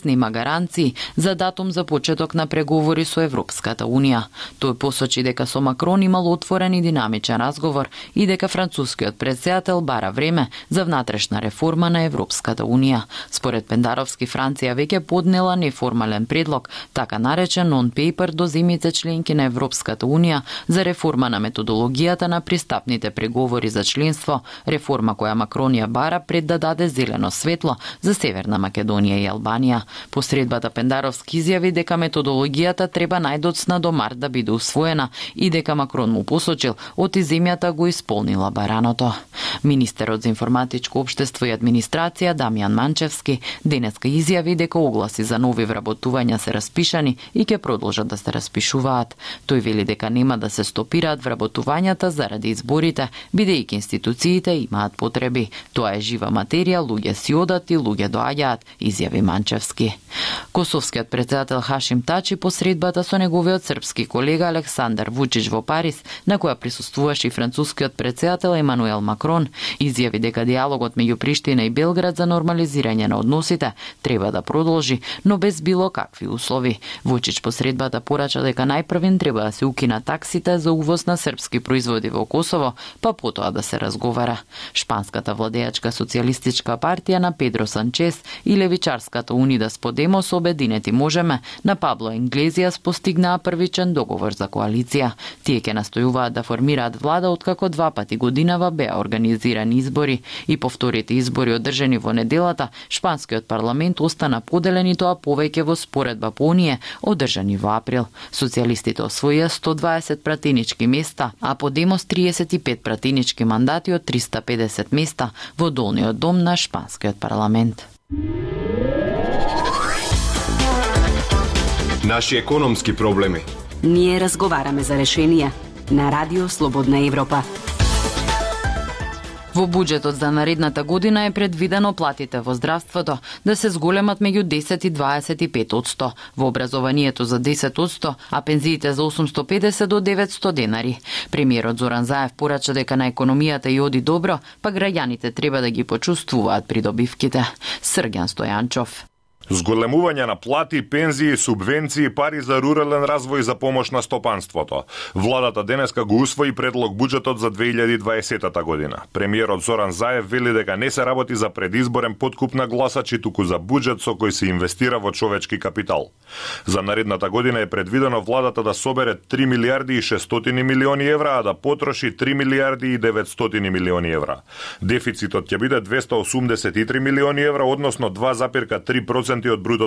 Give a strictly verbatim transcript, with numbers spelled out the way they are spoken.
нема гаранции за датум за почеток на преговори со Европската Унија. Тој посочи дека со Макрон имал отворен и динамичен разговор и дека францускиот претседател бара време за внатрешна реформа на Европската Унија. Според Пендаровски, Франција веќе поднела неформален предлог, така наречен non-paper до земјите членки на Европската Унија за реформа на методологијата на пристапните преговори за членство, реформа која Макрон ја бара пред да даде зелено светло за Северна Македонија и Албанија. Посредбата Пендаровски изјави дека методологијата треба најдоцна до март да биде усвоена и дека Макрон му посочил оти земјата го исполнила бараното. Министерот за информатичко општество и администрација Дамјан Манчевски денеска изјави дека огласи за нови вработувања се распишани и ќе продолжат да се распишуваат. Тој вели дека нема да се стопираат вработувањата заради изборите, бидејќи институциите имаат потреби. Тоа е жива материја, луѓе си одат и луѓе доаѓаат, изјави Манчевски. Косовскиот претседател Хашим Тачи посредбата со неговиот српски колега Александар Вучич во Париз, на која присуствуваше и францускиот претседател Емануел Макрон, изјави дека диалогот меѓу Приштина и Белград за нормализирање на односите треба да продолжи, но без било какви услови. Вучич посредбата порача дека најпрвен треба да се укина таксите за увоз на српски производи во Косово, па потоа да се разговара. Шпанската владеачка социјалистичка партија на Педро Санчес и левичарската Унидас Подемос Обединети можеме на Пабло Инглезијас постигнаа првичен договор за коалиција. Тие ќе настојуваат да формираат влада откако два пати годинава беа организирани избори и по вторите избори одржани во неделата, шпанскиот парламент остана поделен и тоа повеќе во споредба по оние одржани во април. Социјалистите освоија сто дваесет пратенички места, а Подемос триесет и пет пратенички мандати од триста педесет места во долниот дом на шпанскиот парламент. Наши економски проблеми. Ние разговараме за решенија на Радио Слободна Европа. Во буџетот за наредната година е предвидено платите во здравството да се зголемат меѓу десет и дваесет и пет одсто, во образованието за десет одсто, а пензиите за осумсто педесет до деветсто денари. Премиерот Зоран Заев порача дека на економијата и оди добро, па граѓаните треба да ги почувствуваат придобивките. Срѓан Стојанчов. Зголемување на плати, пензии, субвенции, пари за рурален развој за помош на стопанството. Владата денеска го усвои предлог буџетот за две илјади и дваесета година. Премиерот Зоран Заев вели дека не се работи за предизборен подкуп на гласачи, туку за буџет со кој се инвестира во човечки капитал. За наредната година е предвидено владата да собере три милијарди и шестстотини милиони евра, а да потроши три милијарди и деветстотини милиони евра. Дефицитот ќе биде двесте осумдесет и три милиони евра, односно два запирка три проценти од бруто